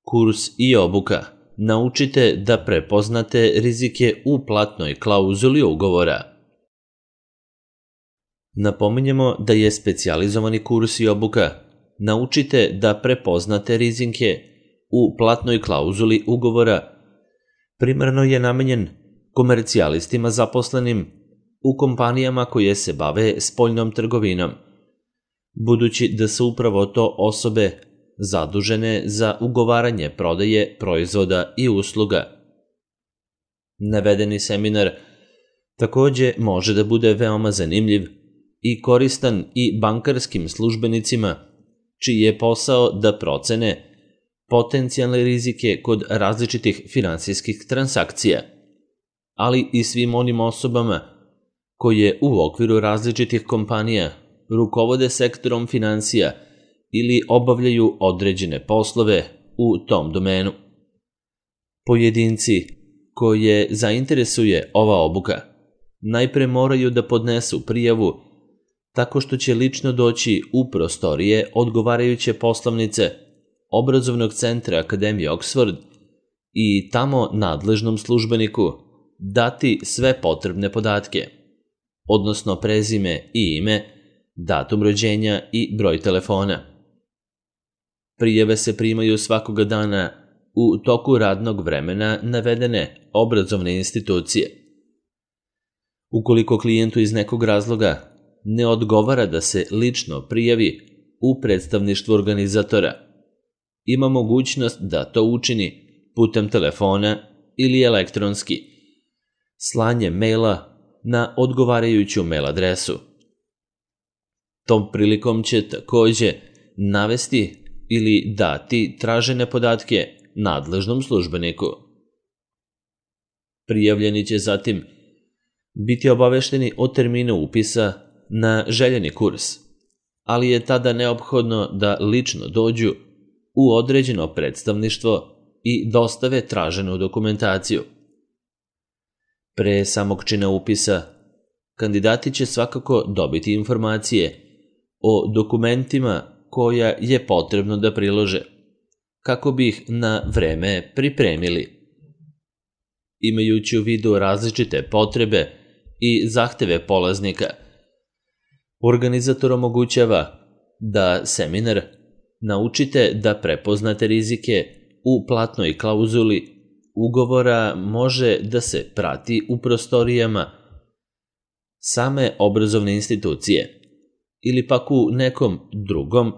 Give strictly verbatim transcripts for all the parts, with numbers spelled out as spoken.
Kurs i obuka. Naučite da prepoznate rizike u platnoj klauzuli ugovora. Napominjemo da je specijalizovani kurs i obuka. Naučite da prepoznate rizike u platnoj klauzuli ugovora. Primarno je namenjen komercijalistima zaposlenim u kompanijama koje se bave spoljnom trgovinom, budući da su upravo to osobe zadužene za ugovaranje prodaje proizvoda i usluga. Navedeni seminar takođe može da bude veoma zanimljiv i koristan i bankarskim službenicima, čiji je posao da procene potencijalne rizike kod različitih finansijskih transakcija, ali i svim onim osobama koje u okviru različitih kompanija rukovode sektorom finansija ili obavljaju određene poslove u tom domenu. Pojedinci koje zainteresuje ova obuka najpre moraju da podnesu prijavu tako što će lično doći u prostorije odgovarajuće poslovnice obrazovnog centra Akademije Oxford i tamo nadležnom službeniku dati sve potrebne podatke, odnosno prezime i ime, datum rođenja i broj telefona. Prijave se primaju svakoga dana u toku radnog vremena navedene obrazovne institucije. Ukoliko klijentu iz nekog razloga ne odgovara da se lično prijavi u predstavništvu organizatora, ima mogućnost da to učini putem telefona ili elektronski, slanjem maila na odgovarajuću mail adresu. Tom prilikom će takođe navesti ili dati tražene podatke nadležnom službeniku. Prijavljeni će zatim biti obavešteni o terminu upisa na željeni kurs, ali je tada neophodno da lično dođu u određeno predstavništvo i dostave traženu dokumentaciju. Pre samog čina upisa, kandidati će svakako dobiti informacije o dokumentima koja je potrebno da prilože, kako bi ih na vreme pripremili. Imajući u vidu različite potrebe i zahteve polaznika, organizator omogućava da seminar Naučite da prepoznate rizike u platnoj klauzuli ugovora može da se prati u prostorijama same obrazovne institucije ili pak u nekom drugom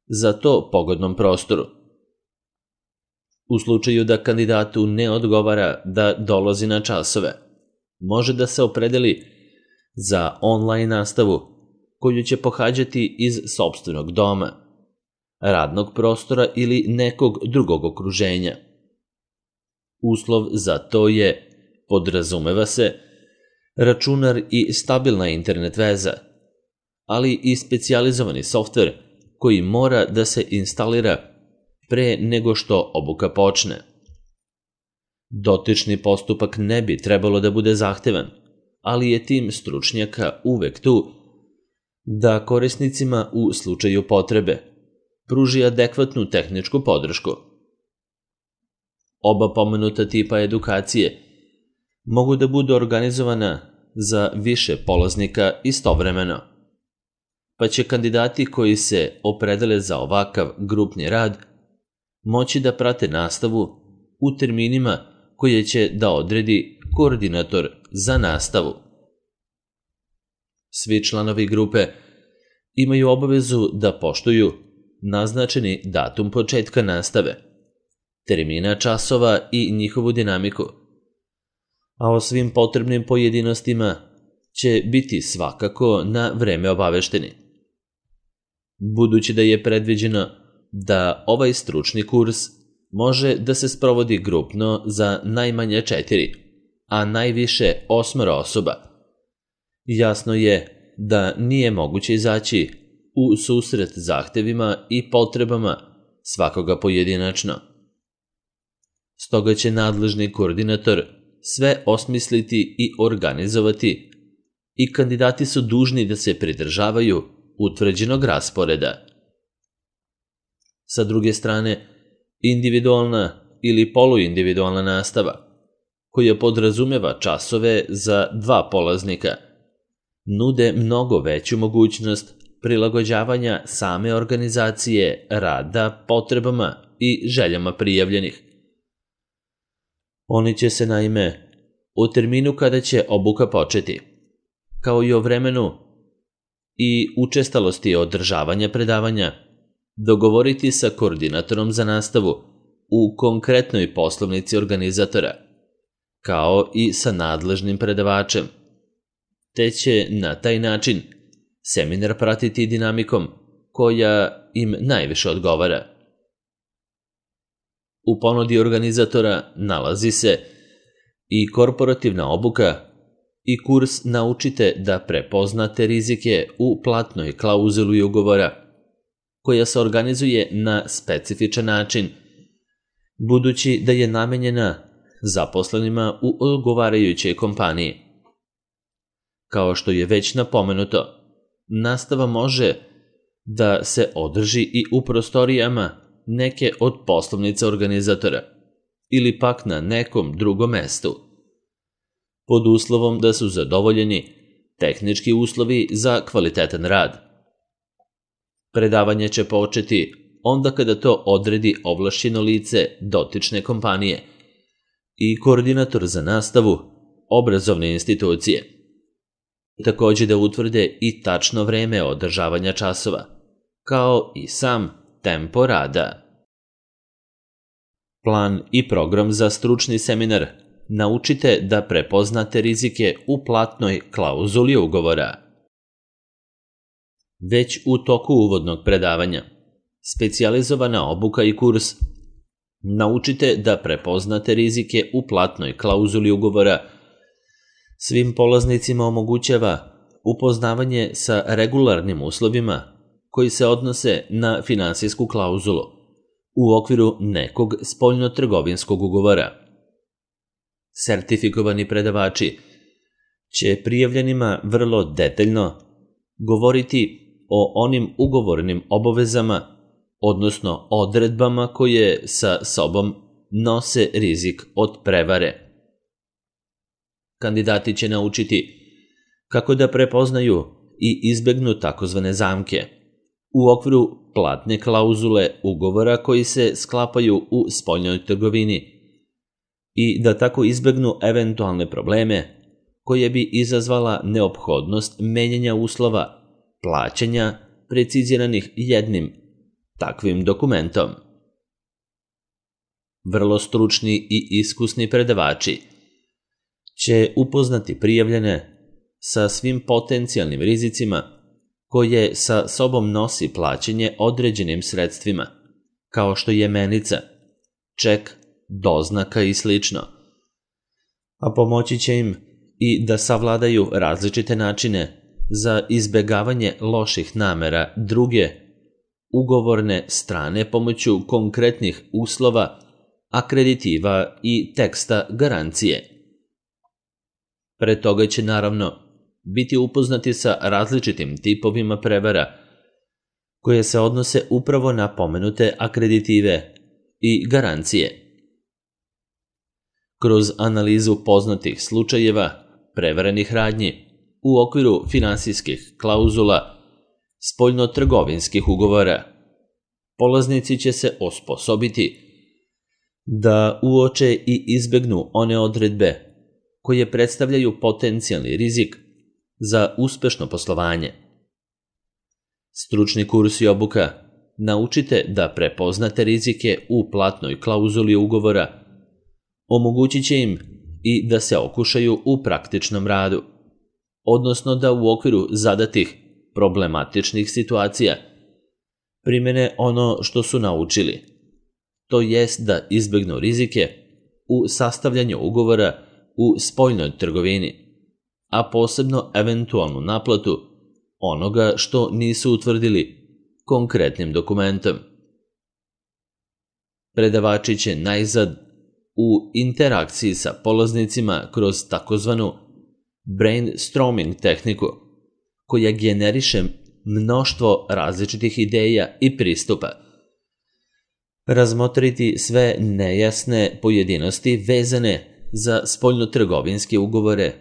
za to pogodnom prostoru. U slučaju da kandidatu ne odgovara da dolazi na časove, može da se opredeli za online nastavu koju će pohađati iz sopstvenog doma, radnog prostora ili nekog drugog okruženja. Uslov za to je, podrazumeva se, računar i stabilna internet veza, ali i specijalizovani softver koji mora da se instalira pre nego što obuka počne. Dotični postupak ne bi trebalo da bude zahtevan, ali je tim stručnjaka uvek tu da korisnicima u slučaju potrebe pruži adekvatnu tehničku podršku. Oba pomenuta tipa edukacije mogu da budu organizovana za više polaznika istovremeno, pa će kandidati koji se opredele za ovakav grupni rad moći da prate nastavu u terminima koje će da odredi koordinator za nastavu. Svi članovi grupe imaju obavezu da poštuju naznačeni datum početka nastave, termina časova i njihovu dinamiku, a o svim potrebnim pojedinostima će biti svakako na vreme obavešteni. Budući da je predviđeno da ovaj stručni kurs može da se sprovodi grupno za najmanje četiri, a najviše osmoro osoba, jasno je da nije moguće izaći u susret zahtevima i potrebama svakoga pojedinačno. Stoga će nadležni koordinator sve osmisliti i organizovati i kandidati su dužni da se pridržavaju utvrđenog rasporeda. Sa druge strane, individualna ili poluindividualna nastava, koja podrazumeva časove za dva polaznika, nude mnogo veću mogućnost prilagođavanja same organizacije rada potrebama i željama prijavljenih. Oni će se naime u terminu kada će obuka početi, kao i o vremenu i učestalosti održavanja predavanja, dogovoriti sa koordinatorom za nastavu u konkretnoj poslovnici organizatora, kao i sa nadležnim predavačem, te će na taj način seminar pratiti dinamikom koja im najviše odgovara. U ponudi organizatora nalazi se i korporativna obuka i kurs Naučite da prepoznate rizike u platnoj klauzuli ugovora, koja se organizuje na specifičan način, budući da je namenjena zaposlenima u odgovarajućoj kompaniji. Kao što je već napomenuto, nastava može da se održi i u prostorijama neke od poslovnica organizatora ili pak na nekom drugom mestu, pod uslovom da su zadovoljeni tehnički uslovi za kvalitetan rad. Predavanje će početi onda kada to odredi ovlašćeno lice dotične kompanije i koordinator za nastavu obrazovne institucije. Takođe da utvrde i tačno vreme održavanja časova, kao i sam tempo rada. Plan i program za stručni seminar Naučite da prepoznate rizike u platnoj klauzuli ugovora. Već u toku uvodnog predavanja, specijalizovana obuka i kurs Naučite da prepoznate rizike u platnoj klauzuli ugovora svim polaznicima omogućava upoznavanje sa regularnim uslovima koji se odnose na finansijsku klauzulu u okviru nekog spoljnotrgovinskog ugovora. Sertifikovani predavači će prijavljenima vrlo detaljno govoriti o onim ugovornim obavezama, odnosno odredbama koje sa sobom nose rizik od prevare. Kandidati će naučiti kako da prepoznaju i izbegnu takozvane zamke u okviru platne klauzule ugovora koji se sklapaju u spoljnoj trgovini i da tako izbegnu eventualne probleme koje bi izazvala neophodnost menjanja uslova plaćanja preciziranih jednim takvim dokumentom. Vrlo stručni i iskusni predavači će upoznati prijavljene sa svim potencijalnim rizicima koje sa sobom nosi plaćanje određenim sredstvima, kao što je menica, ček, doznaka i slično, a pomoći će im i da savladaju različite načine za izbegavanje loših namera druge ugovorne strane pomoću konkretnih uslova, akreditiva i teksta garancije. Pre toga će naravno biti upoznati sa različitim tipovima prevara koje se odnose upravo na pomenute akreditive i garancije. Kroz analizu poznatih slučajeva prevarenih radnji u okviru finansijskih klauzula spoljnotrgovinskih ugovora, polaznici će se osposobiti da uoče i izbegnu one odredbe koje predstavljaju potencijalni rizik za uspešno poslovanje. Stručni kurs i obuka Naučite da prepoznate rizike u platnoj klauzuli ugovora omogućit će im i da se okušaju u praktičnom radu, odnosno da u okviru zadatih problematičnih situacija primene ono što su naučili, to jest da izbegnu rizike u sastavljanju ugovora u spoljnoj trgovini, a posebno eventualnu naplatu onoga što nisu utvrdili konkretnim dokumentom. Predavači će najzad u interakciji sa polaznicima kroz takozvanu brainstorming tehniku, koja generiše mnoštvo različitih ideja i pristupa, razmotriti sve nejasne pojedinosti vezane za spoljnotrgovinske ugovore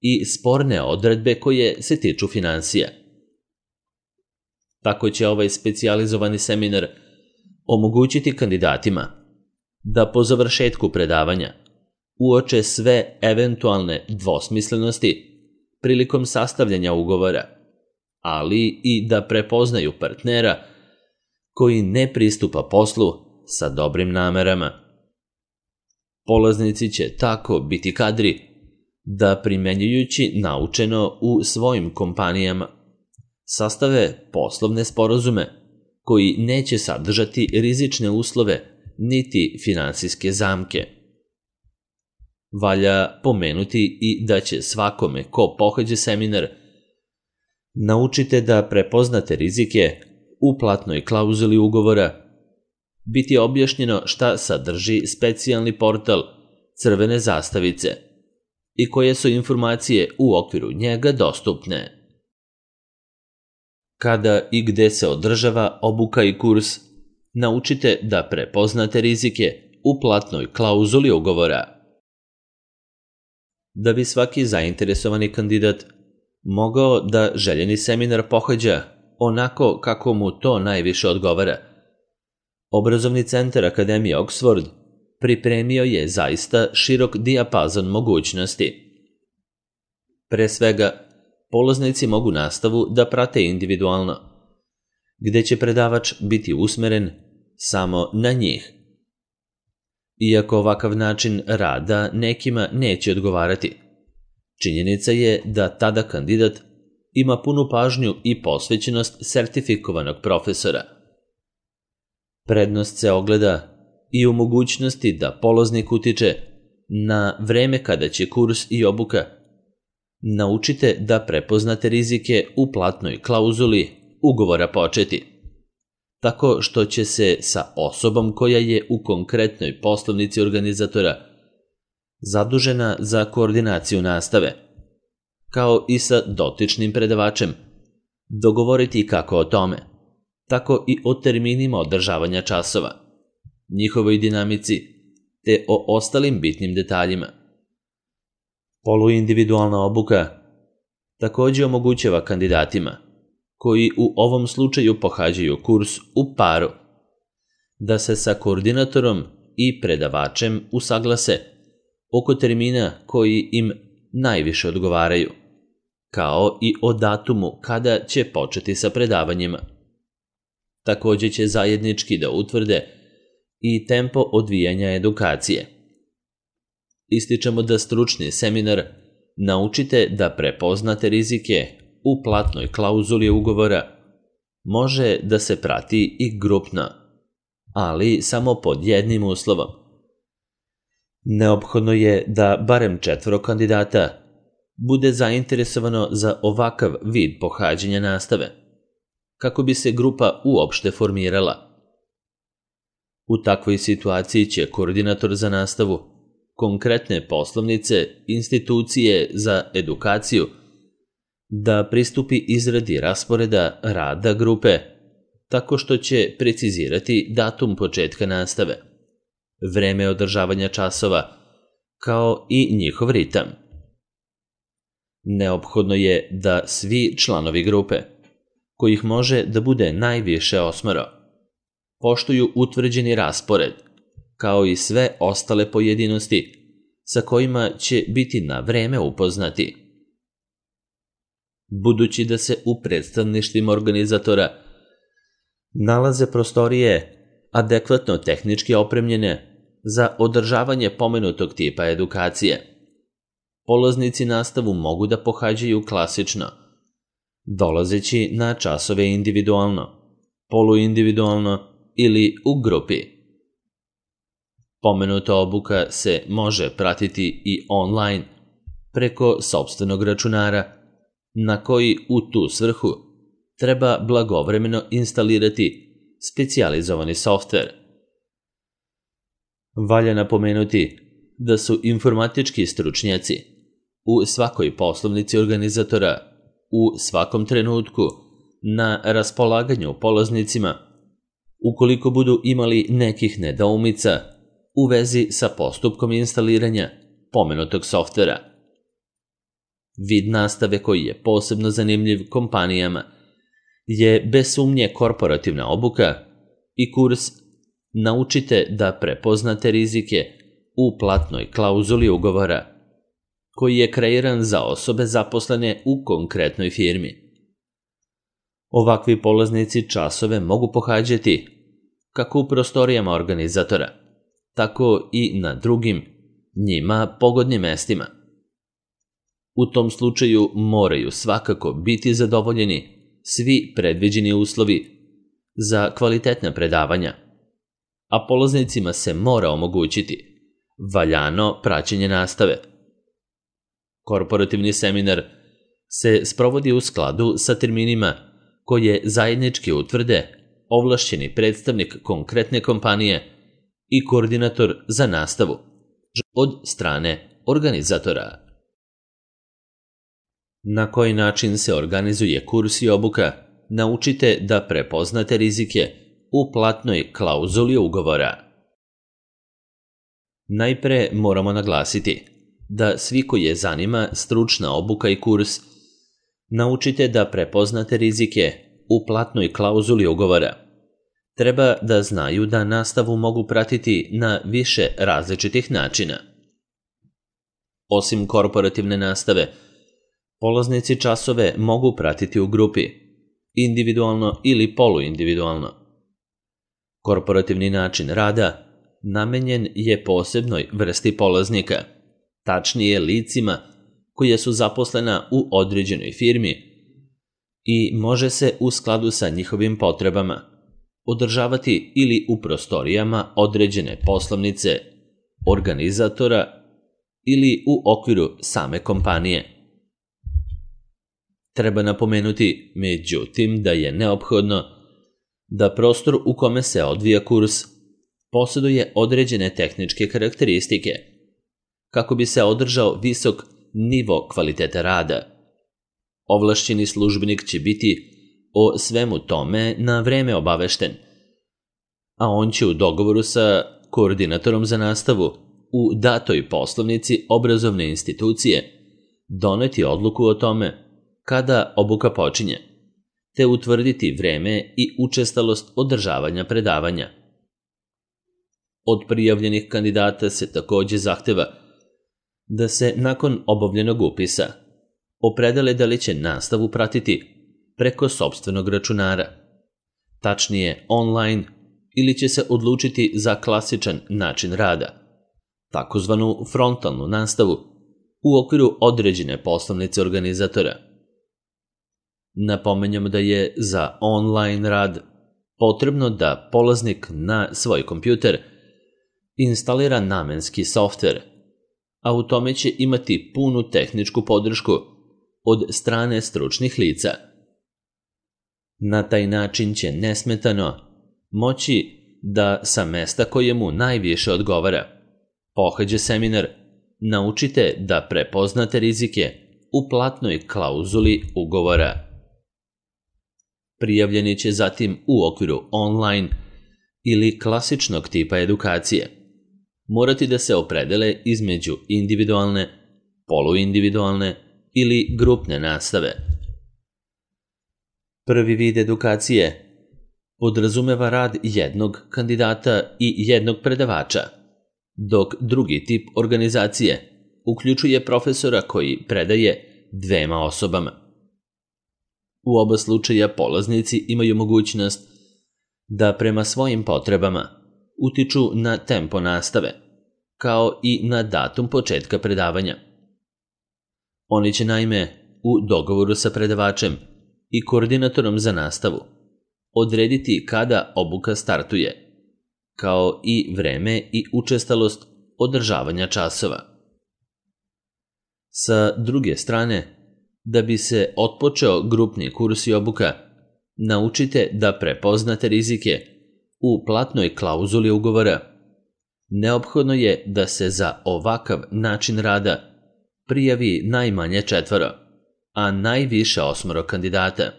i sporne odredbe koje se tiču finansija. Tako će ovaj specijalizovani seminar omogućiti kandidatima da po završetku predavanja uoče sve eventualne dvosmislenosti prilikom sastavljanja ugovora, ali i da prepoznaju partnera koji ne pristupa poslu sa dobrim namerama. Polaznici će tako biti kadri da, primenjujući naučeno u svojim kompanijama, sastave poslovne sporazume koji neće sadržati rizične uslove niti finansijske zamke. Valja pomenuti i da će svakome ko pohađa seminar naučite da prepoznate rizike u platnoj klauzuli ugovora, biti objašnjeno šta sadrži specijalni portal crvene zastavice i koje su informacije u okviru njega dostupne. Kada i gde se održava obuka i kurs, naučite da prepoznate rizike u platnoj klauzuli ugovora. Da bi svaki zainteresovani kandidat mogao da željeni seminar pohađa onako kako mu to najviše odgovara, Obrazovni centar Akademije Oxford pripremio je zaista širok dijapazon mogućnosti. Pre svega, polaznici mogu nastavu da prate individualno, gde će predavač biti usmeren samo na njih. Iako ovakav način rada nekima neće odgovarati, činjenica je da tada kandidat ima punu pažnju i posvećenost sertifikovanog profesora. Prednost se ogleda i u mogućnosti da polaznik utiče na vreme kada će kurs i obuka. Naučite da prepoznate rizike u platnoj klauzuli ugovora početi, tako što će se sa osobom koja je u konkretnoj poslovnici organizatora zadužena za koordinaciju nastave, kao i sa dotičnim predavačem, dogovoriti kako o tome, tako i o terminima održavanja časova, njihovoj dinamici, te o ostalim bitnim detaljima. Poluindividualna obuka takođe omogućava kandidatima, koji u ovom slučaju pohađaju kurs u paru, da se sa koordinatorom i predavačem usaglase oko termina koji im najviše odgovaraju, kao i o datumu kada će početi sa predavanjima. Takođe će zajednički da utvrde i tempo odvijanja edukacije. Ističemo da stručni seminar naučite da prepoznate rizike u platnoj klauzuli ugovora može da se prati i grupno, ali samo pod jednim uslovom. Neophodno je da barem četvoro kandidata bude zainteresovano za ovakav vid pohađanja nastave, kako bi se grupa uopšte formirala. U takvoj situaciji će koordinator za nastavu konkretne poslovnice, institucije za edukaciju, da pristupi izradi rasporeda rada grupe, tako što će precizirati datum početka nastave, vreme održavanja časova, kao i njihov ritam. Neophodno je da svi članovi grupe, kojih može da bude najviše osmoro, poštuju utvrđeni raspored, kao i sve ostale pojedinosti sa kojima će biti na vreme upoznati. Budući da se u predstavništvima organizatora nalaze prostorije adekvatno tehnički opremljene za održavanje pomenutog tipa edukacije, polaznici nastavu mogu da pohađaju klasično, dolazeći na časove individualno, poluindividualno ili u grupi. Pomenuta obuka se može pratiti i online preko sopstvenog računara, na koji u tu svrhu treba blagovremeno instalirati specijalizovani softver. Valja napomenuti da su informatički stručnjaci u svakoj poslovnici organizatora u svakom trenutku na raspolaganju polaznicima Ukoliko budu imali nekih nedoumica u vezi sa postupkom instaliranja pomenutog softvera. Vid nastave koji je posebno zanimljiv kompanijama je bez sumnje korporativna obuka i kurs Naučite da prepoznate rizike u platnoj klauzuli ugovora, koji je kreiran za osobe zaposlene u konkretnoj firmi. Ovakvi polaznici časove mogu pohađati kako u prostorijama organizatora, tako i na drugim, njima pogodnim mestima. U tom slučaju moraju svakako biti zadovoljeni svi predviđeni uslovi za kvalitetna predavanja, a polaznicima se mora omogućiti valjano praćenje nastave. Korporativni seminar se sprovodi u skladu sa terminima koje zajednički utvrde ovlašćeni predstavnik konkretne kompanije i koordinator za nastavu od strane organizatora. Na koji način se organizuje kurs i obuka Naučite da prepoznate rizike u platnoj klauzuli ugovora? Najpre moramo naglasiti da svi koji je zanima stručna obuka i kurs Naučite da prepoznate rizike u platnoj klauzuli ugovora treba da znaju da nastavu mogu pratiti na više različitih načina. Osim korporativne nastave, polaznici časove mogu pratiti u grupi, individualno ili poluindividualno. Korporativni način rada namenjen je posebnoj vrsti polaznika, tačnije licima koja su zaposlena u određenoj firmi i može se u skladu sa njihovim potrebama održavati ili u prostorijama određene poslovnice, organizatora ili u okviru same kompanije. Treba napomenuti, međutim, da je neophodno da prostor u kome se odvija kurs posjeduje određene tehničke karakteristike kako bi se održao visok nivo kvaliteta rada. Ovlašćeni službenik će biti o svemu tome na vreme obavešten, a on će u dogovoru sa koordinatorom za nastavu u datoj poslovnici obrazovne institucije doneti odluku o tome kada obuka počinje, te utvrditi vreme i učestalost održavanja predavanja. Od prijavljenih kandidata se takođe zahteva da se nakon obavljenog upisa opredele da li će nastavu pratiti preko sopstvenog računara, tačnije online, ili će se odlučiti za klasičan način rada, takozvanu frontalnu nastavu u okviru određene poslovnice organizatora. Napominjamo da je za online rad potrebno da polaznik na svoj kompjuter instalira namenski softver, a u tome će imati punu tehničku podršku od strane stručnih lica. Na taj način će nesmetano moći da sa mesta koje mu najviše odgovara pohađa seminar Naučite da prepoznate rizike u platnoj klauzuli ugovora. Prijavljeni će zatim u okviru online ili klasičnog tipa edukacije morati da se opredele između individualne, poluindividualne ili grupne nastave. Prvi vid edukacije podrazumeva rad jednog kandidata i jednog predavača, dok drugi tip organizacije uključuje profesora koji predaje dvema osobama. U oba slučaja polaznici imaju mogućnost da prema svojim potrebama utiču na tempo nastave, kao i na datum početka predavanja. Oni će naime u dogovoru sa predavačem i koordinatorom za nastavu odrediti kada obuka startuje, kao i vreme i učestalost održavanja časova. Sa druge strane, da bi se otpočeo grupni kurs i obuka, naučite da prepoznate rizike u platnoj klauzuli ugovora. Neophodno je da se za ovakav način rada prijavi najmanje četvoro, a najviše osmoro kandidata.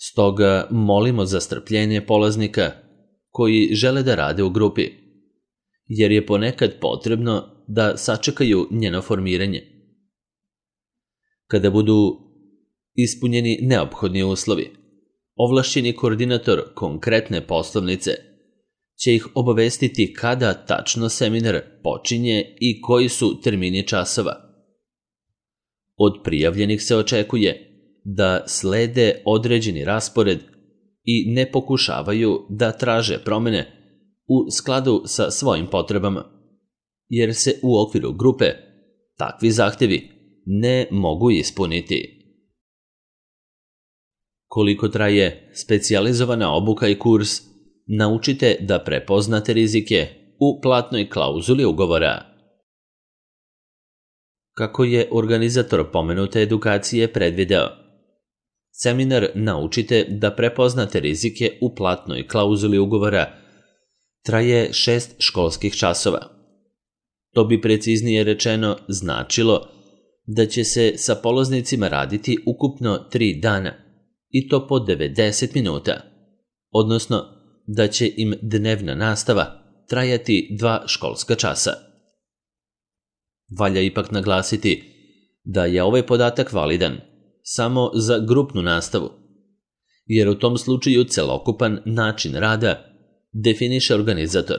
Stoga molimo za strpljenje polaznika koji žele da rade u grupi, jer je ponekad potrebno da sačekaju njeno formiranje. Kada budu ispunjeni neophodni uslovi, ovlašćeni koordinator konkretne poslovnice će ih obavestiti kada tačno seminar počinje i koji su termini časova. Od prijavljenih se očekuje da slede određeni raspored i ne pokušavaju da traže promene u skladu sa svojim potrebama, jer se u okviru grupe takvi zahtevi ne mogu ispuniti. Koliko traje specijalizovana obuka i kurs, naučite da prepoznate rizike u platnoj klauzuli ugovora. Kako je organizator pomenute edukacije predvideo, seminar Naučite da prepoznate rizike u platnoj klauzuli ugovora traje šest školskih časova. To bi preciznije rečeno značilo da će se sa polaznicima raditi ukupno tri dana, i to po devedeset minuta, odnosno da će im dnevna nastava trajati dva školska časa. Valja ipak naglasiti da je ovaj podatak validan samo za grupnu nastavu, jer u tom slučaju celokupan način rada definiše organizator.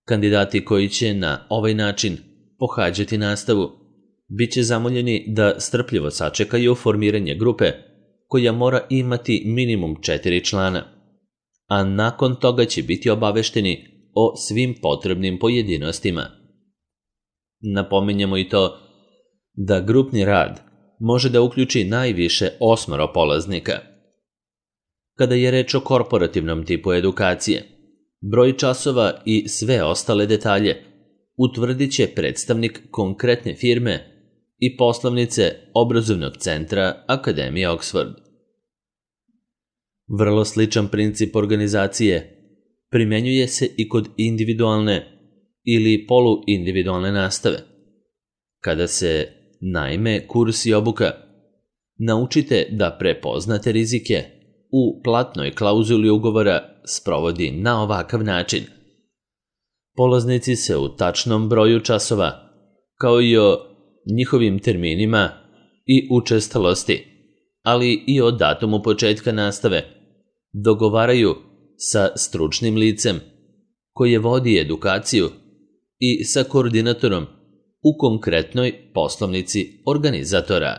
Kandidati koji će na ovaj način pohađati nastavu bit će zamoljeni da strpljivo sačekaju formiranje grupe koja mora imati minimum četiri člana, a nakon toga će biti obavešteni o svim potrebnim pojedinostima. Napominjemo i to da grupni rad može da uključi najviše osmoro polaznika. Kada je reč o korporativnom tipu edukacije, broj časova i sve ostale detalje utvrdit će predstavnik konkretne firme i poslovnice obrazovnog centra Akademije Oxford. Vrlo sličan princip organizacije primenjuje se i kod individualne ili poluindividualne nastave. Kada se, naime, kurs i obuka Naučite da prepoznate rizike u platnoj klauzuli ugovora sprovodi na ovakav način. Polaznici se u tačnom broju časova, kao i o njihovim terminima i učestalosti, ali i o datumu početka nastave, dogovaraju sa stručnim licem koje vodi edukaciju i sa koordinatorom u konkretnoj poslovnici organizatora.